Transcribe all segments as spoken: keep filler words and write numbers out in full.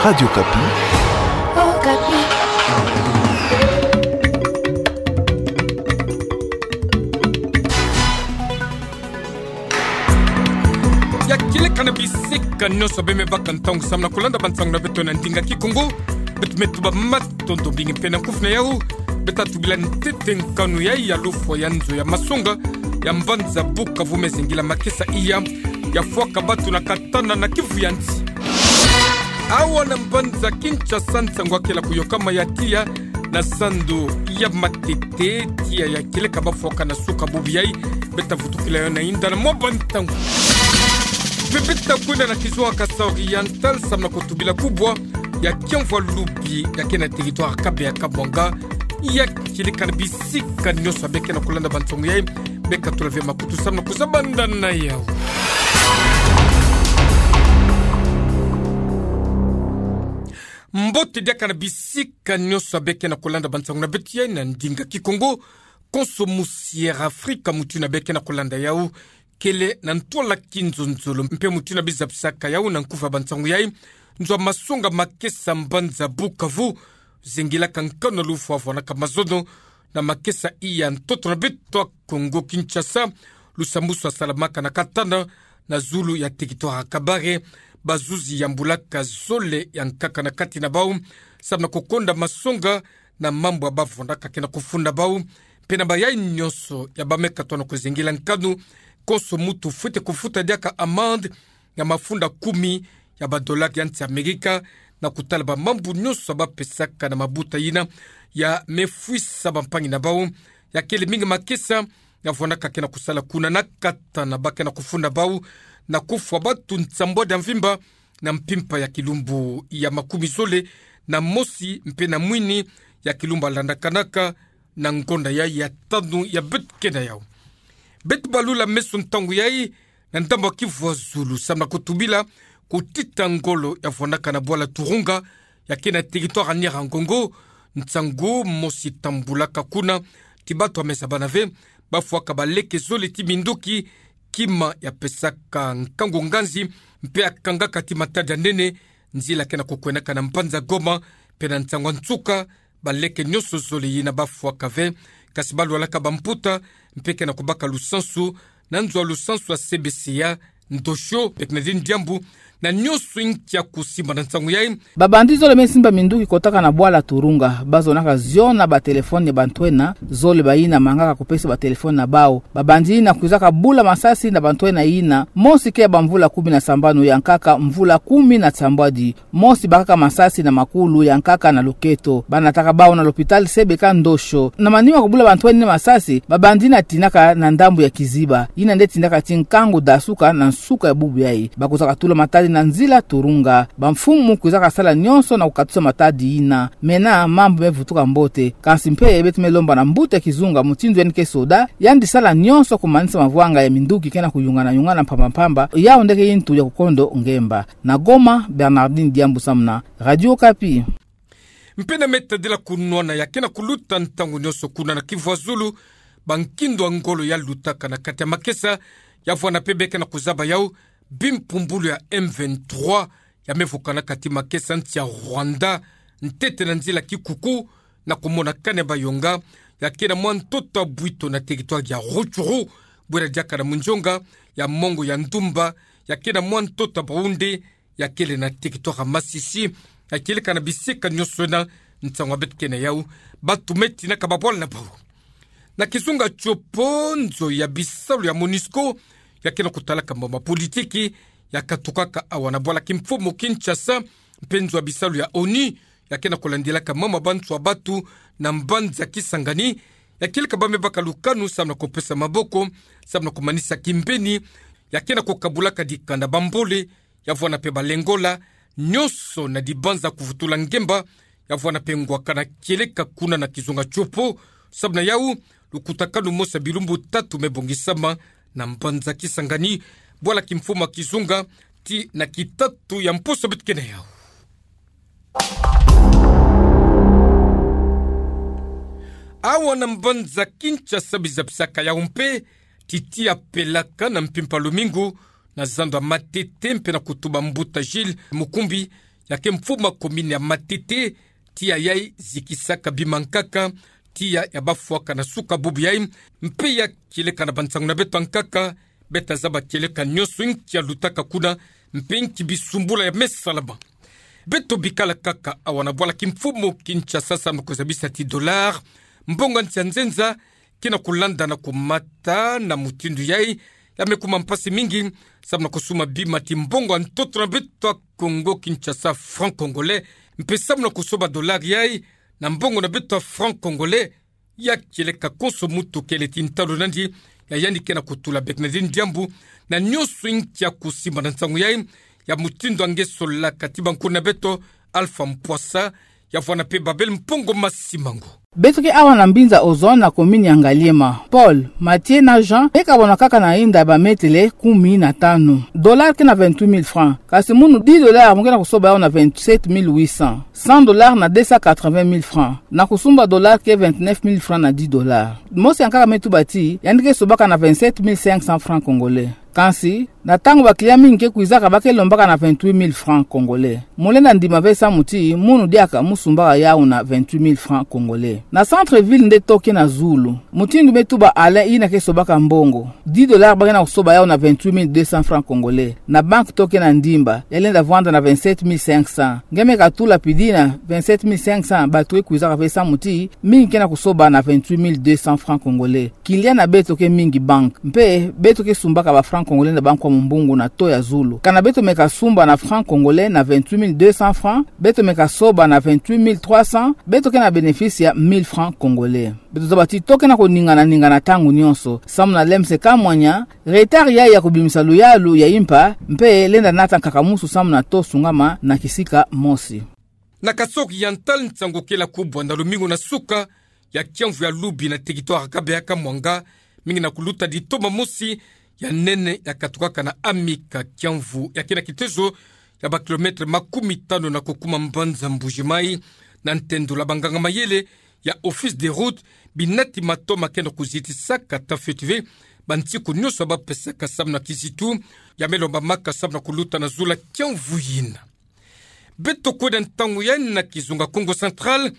Radio Okapi. Okapi. Ya kieleka na bisika nyonso beme baka ntangu samu na kulanda bansangu na beto na ndinga Kikongo. Beto me tuba matondo mingi mpe na kufi na yau. Beta tubila ntete nkanu ya, ya lufwa ya nzo ya masonga ya mbanza Bukavu me zengila makesa iya, ya fwaka batu na katana na kivu ya nsi. Awa na mbanza Kinshasa, nsangu akela kuyokama ya tiya na sandu ya matete, tiya ya kieleka bafwaka na suka bubu yai. Beta vutukila yo na inda na mwa bantangu. Mpe beta kwenda na kizunga Kasaï Oriental samu na kutubila kubwa ya kiamvwa lubi ya ke na territoire Kabeya Kamwanga. Ya kieleka na bisika nyonso beke na kulanda bansangu yai, beka tula ve makutu samu na kuzabanda na yau. Mbote diaka na bisika nyonso beke na kulanda bansangu na beto yai na ndinga Kikongo. Konso musi ya Afrika, mutu yina beke na kulanda yau, kele na ntwala kinzonzolo, mpe mutu yina biza bisaka yau na nkufi ya bansangu yai. Nzo ya masonga makesa mbanza Bukavu zengilaka nkanu na lufwa vwanaka mazono na makesa iya ntoto na beto ya Kongo Kinshasa. Lusambusu asalamaka na katana na zulu ya territoire Kabare. Bazuzi yambulaka zole ya nkaka na kati na bau samu na kukonda masonga na mambu ya bavwanaka ke na kufunda bau. Mpe na bayai nyonso ya bameka tona kuzengila nkanu, konso mutu fwete kufuta diaka amende ya mafunda kumi ya badolari ya nsi Amerika, na kutala bamambu nyonso ya bapesaka na mabuta yina ya me fwisa bampangi na bau. Ya kele mingi makesa ya vwanaka ke na kusala kuna na katana, ba ke na kufunda bau na kufwa batu nsambwadi ya mvimba na mpimpa ya kilumbu ya makumi zole na mosi mpe na mwini ya kilumbu alandakanaka na ngonda yai ya tanu ya beto ke na yau. Beto balula meso ntangu yai na ndambu ya kivu ya zulu samu na kutubila kutita ngolo ya vwanaka na bwala Turunga, ya ke na territoire ya Nyiragongo. Nsangu mosi tambulaka kuna, ti batu ya me zabana ve, bafwaka baleke zole ti minduki, kima ya pesaka nkangu nganzi mpe ya kangaka ti matadi ya nene nzila ke na kukwendaka na mbanza Goma. Mpe na nsangu ya nsuka, baleke nyonso zole yina bafwaka ve, kasi balwalaka bamputa, mpe ke na kubaka lusansu na nzo ya lusansu ya C B C ya Ndosho, mpe ke na dini diambu na nyonso inki ya kusimba na nsangu yai. Babandi zole me simba minduki kotaka na bwala Turunga, bazonaka zio na batelefone ya bantwenia zole, bayina mangaka kupesa batelefone na bau. Babandi yina kwizaka bula masasi na bantwenia yina, mosi ke ya bamvula kumi na sambanu, ya nkaka mvula kumi na sambwadi. Mosi bakaka masasi na makulu, ya nkaka na loketo. Banataka bau na lopitali C B C Ndosho. Na manima kubula bantwenia masasi, babandi yina tinaka na ndambu ya kiziba, yina nde tindaka ti nkangu dasuka na nsuka ya bubu yai. Bakwizaka tula matadi na nzila Turunga. Bamfumu kwizaka sala nyonso na kukatusa matadi yina. Mena mambu me vutuka mbote. Kansi mpe beto me lomba na mbuta ya kizunga, mutindu yandi ke soda, yandi sala nyonso kumanisa mavwanga ya minduki ke na kuyungana-yungana mpamba-mpamba, yau nde ke yintu ya kukondo ngemba. Na Goma, Bernardine Diambu samu na Radio Okapi. Mpe na me tadila kunwana ya ke na kuluta ntangu nyonso kuna na kivu ya zulu, bankindu ya ngolo ya lutaka na kati ya makesa, ya vwanda mpe beke na kuzaba yau, bimpumbulu ya M vingt-trois ya me vukanaka ti makesa nsi ya Rwanda, ntete na nzila Kikuku, na kumona kani ya Bayonga, ya ke na mwa ntoto ya Bwito na territoire ya Rutshuru, bwera diaka na munzonga ya mongo ya Ndumba, ya ke na mwa ntoto ya Baoundé, ya kele na territoire ya Masisi. Ya kieleka na bisika nyonso yina, nsangu ya beto ke na yau, batu me tinaka babwala na bau. Na kizunga Tshopo, nzo ya bisalu ya MONUSCO ya ke na kutalaka mambu ya politiki ya katukaka awa na bwala kimfumu Kinshasa, mpe nzo ya bisalu ya ONU ya ke na kulandilaka mambu ya banswa batu na mbanza Kisangani, ya kieleka ba me baka lukanu samu na kupesa maboko, samu na kumanisa kimbeni, ya ke na kukabulaka dikanda, bambole, ya vwanda mpe balengola, nyonso na dibanza kuvutula ngemba, ya vwanda mpe ngwakana kieleka kuna na kizunga Tshopo. Samu na yau, lukutakanu mosi ya bilumbu tatu me bongisama na mbanza Kisangani, bwala kimfumu ya kizunga, ti na kitatu ya mposo beto ke na yau. Awa na mbanza Kinshasa biza bisaka yau mpe, ti tiya pelaka na mpimpa lumingu, na zando ya Matete mpe na kutuba mbuta Gilles Mukumbi, yake mfumu ya commune ya Matete, tiya yai zikisaka bima nkaka, tiya ya bafuaka na suka bubu yai, mpe ya kieleka na bansango na beto ya nkaka, beta zaba kieleka nionso nki ya lutaka kuna, mpe nki bisumbula ya me salama. Beto bikala kaka awa na bwala kimfumu Kinshasa, samu na kuzabisa ti dollar, mbongo ya nsi ya nzenza, ke na kulanda na kumata na mutindu yai, ya me kuma mpasi mingi, samu na kusumba bima ti mbongo ya ntoto na beto ya Kongo Kinshasa, franc congolais, mpe samu na kusoba dollar yai na mbongo na beto ya franc congolais, ya kieleka konso muntu kele ti ntalu nandi, ya yandi ke na kutula bek na diambu, na nionso nki ya kusimba na nsangu yai, ya mutindu ya nge solaka ti bankuna na beto, Alpha Mpwasa, ya vwanda mpe Babel Mpongo Masimango. Beto ke awa na mbinza Ozone na commune ya Ngaliema. Paul, Mathieu na Jean, me kabwana kaka na inda ya bametele kumi na tanu. Dollar ke na vingt-huit mille francs. Kasi munu dix dollars mo ke na kusoba yau na vingt-sept mille huit cents. Cent dollars na deux cent quatre-vingt mille francs. Na kusumba dollar ke vingt-neuf mille francs na dix dollars. Mosi ya nkaka me tuba ti, yandi ke sobaka na vingt-sept mille cinq cents francs congolais. Kansi, na ntangu ba clients mingi ke kwizaka, ba ke lombaka na vingt-huit mille francs congolais. Mo lenda ndima ve samu ti munu diaka mo sumbaka yau na vingt-huit mille francs congolais. Na centre-ville nde taux ke na zulu. Mutindu me tuba Alain, yina ke sobaka mbongo, dix dollars ba ke na kusoba yau na vingt-huit mille deux cents francs congolais. Na banque taux ke na ndimba, ya lenda vwanda na vingt-sept mille cinq cents. Nge me katula pidi na vingt-sept mille cinq cents, bato ke kwizaka ve samu ti mingi ke na kusoba na vingt-huit mille deux cents francs congolais. Clients na beto ke mingi banque. Mpe beto ke sumbaka ba francs congolais na banque wa mumbungu na taux ya zulu. Kana beto me kasumba na francs congolais na vingt-huit mille deux cents francs, beto me kasoba na vingt-huit mille trois cents, beto ke na bénéfice ya mille francs congolais. Beto zaba ti taux ke na kuningana ningana ntangu nionso. Samu na lemse kamwanya, retard yai ya kubimisa luyalu ya impa, mpe lenda nata nkakamusu samu na taux sungama na kisika mosi. Na Kasaï Oriental, nsangu kela kubwa na lumingu na suka ya kiamvu ya lubi na territoire ya Kabeya-Kamwanga, mingi na kuluta ditoma mosi ya nene ya katukaka na Amika, kiamvu ya ke na kitezo ya ba kilomètre makumi tanu na kukuma mbanza Mbuji-Mayi, na ntendula banganga mayele ya Office des Routes, binati matoma ke na kuzitisaka ta fioti ve, bansiku nionso ba pesaka samu na kizitu, ya me lombamaka samu na kuluta na zulu ya kiamvu yina. Beto kwenda ntangu yai na kizunga Kongo Central,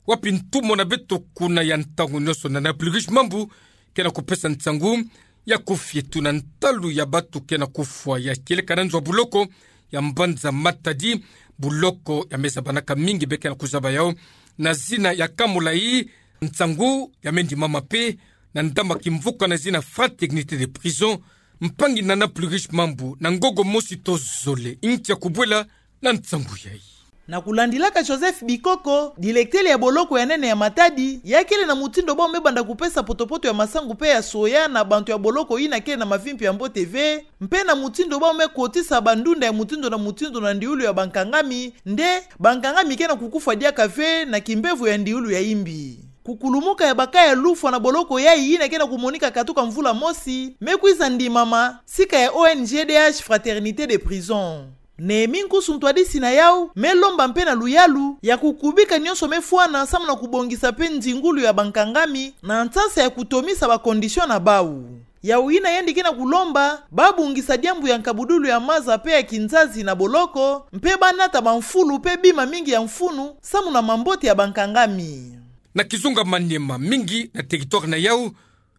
wapi ntumwa na beto kuna ya ntangu nionso Nana Plurish Mambu ke na kupesa nsangu ya kufietu na ntalu ya bato ke na kufwa ya kieleka na nzo ya boloko ya mbanza Matadi, boloko ya me zabanaka mingi, be ke na kuzaba yau na zina ya Kamolayi, nsangu ya me ndimama mpe na ndama kimvuka na zina Fraternité des Prisons. Mpangi Nana Plurish Mambu, na ngongo mosi to zole, nki ya kubwela na nsangu yai. Na kulandilaka Joseph Bikoko, directeur ya boloko ya nene ya Matadi, ya kele na mutindu bau me banda kupesa potopoto ya masangu mpe ya soya na bantu ya boloko yina kele na mavimpi ya mbote ve, mpe na mutindu bau me kotisa bandunda ya mutindu na mutindu na ndiulu ya bankangami, nde bankangami ke na kukufwa diaka ve na kimbevo ya ndiulu ya imbi. Kukulumuka ya baka ya lufwa na boloko yai yina ke na kumonika katuka mvula mosi, me kwiza ndimama sika ya O N G D H Fraternité des Prisons. Néhémie Nkusu, ntwadisi na yau, me lomba mpe na luyalu ya kukubika nionso me fwana samu na kubongisa mpe nzingulu ya bankangami na nsansa ya kutomisa ba conditions na bau. Yau yina yandi ke na kulomba ba bongisa diambu ya nkabudulu ya maza mpe ya kinzazi na boloko, mpe ba nata bamfulu mpe bima mingi ya mfunu samu na mambote ya bankangami. Na kizunga Maniema, mingi na territoire na yau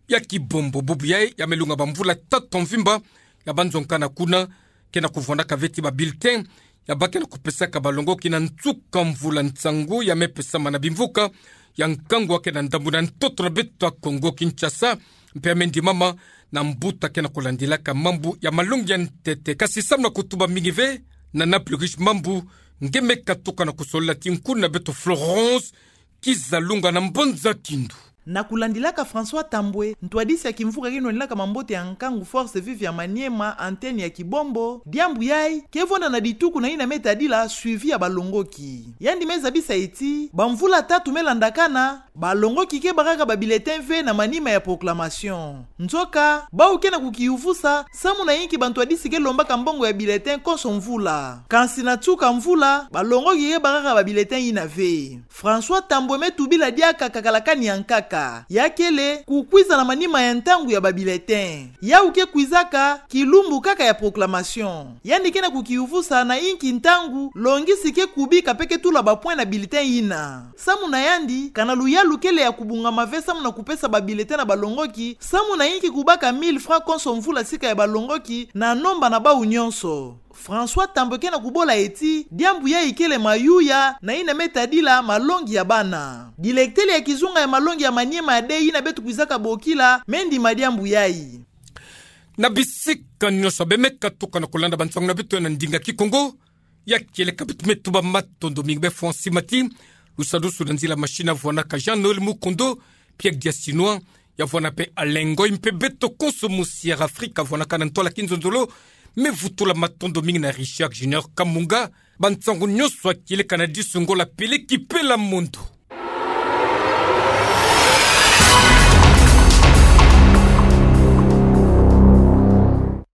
ya Kibombo, bubu yai ya me lunga bamvula tatu mvimba ya banzo nkana kuna, ke na kuvwandaka ve ti ba bulletins ya ba ke na kupesaka balongoki na nsuka mvula. Nsangu ya me pesama na bimvuka ya nkangu ya ke na ndambu na ntoto na beto ya Kongo Kinshasa, mpe ya me ndimama na mbuta ke na kulandilaka mambu ya malongi ya ntete. Kasi samu na kutuba mingi ve, Nana Plurish Mambu, nge me katuka na kusolola ti nkuna na beto Florence Kizalunga na Mbanza Kindu. Na kulandilaka François Tambwe, ntwadisi ya kimvuka kino nilaka mambote ya nkangu Forces Vives ya Maniema, antenne ya Kibombo, diambu yai ke vwanda na dituku na yina me tadila suivi ya balongoki. Yandi me zabisa ti bamvula tatu me landakana, balongoki ke bakaka ba bulletins ve na manima ya proclamation. Nzoka bau ke na kukiyuvusa samu na yinki bantwadisi ke lombaka mbongo ya bulletin konso mvula. Kansi na nsuka mvula, balongoki ke bakaka ba bulletins yina ve. François Tambwe me tubila diaka kakala kani ya nkaka. kaka. Ya kele kukwiza na manima ya ntangu ya ba bulletin. Yau ke kwizaka kilumbu kaka ya proclamation. Yandi ke na kukiyuvusa na inki ntangu longisi ke kubika mpe ke tula ba point na bulletin yina. Samu na yandi, kana luyalu kele ya kubungama ve samu na kupesa ba bulletin na balongoki, samu na inki kubaka mille francs konso mvula sika ya balongoki na nomba na bau nyonso. François Tambwe ke na kubola ti diambu yayi kele mayuya na yina me tadila malongi ya bana. Dilektele ya kizunga ya malongi ya Maniema Day yina beto kwizaka bokila me ndima diambu yayi. Na bisika nyonso be me katuka na kulanda bansangu na beto na ndinga Kikongo, ya kieleka beto me tuba matondo mingi be François Mati, lusadusu na nzila machine avwanaka Jean-Noël Mukondo, Pierre Diasinois, ya vwana mpe Alain Ngoy mpe beto konso musi Air Afrique avwanaka na ntwala kinzonzolo, me vutula matondo mingi na Richard Junior Kamunga, bansangu nyonso ya kieleka na disu ngo la Pele Kipe la Mondo.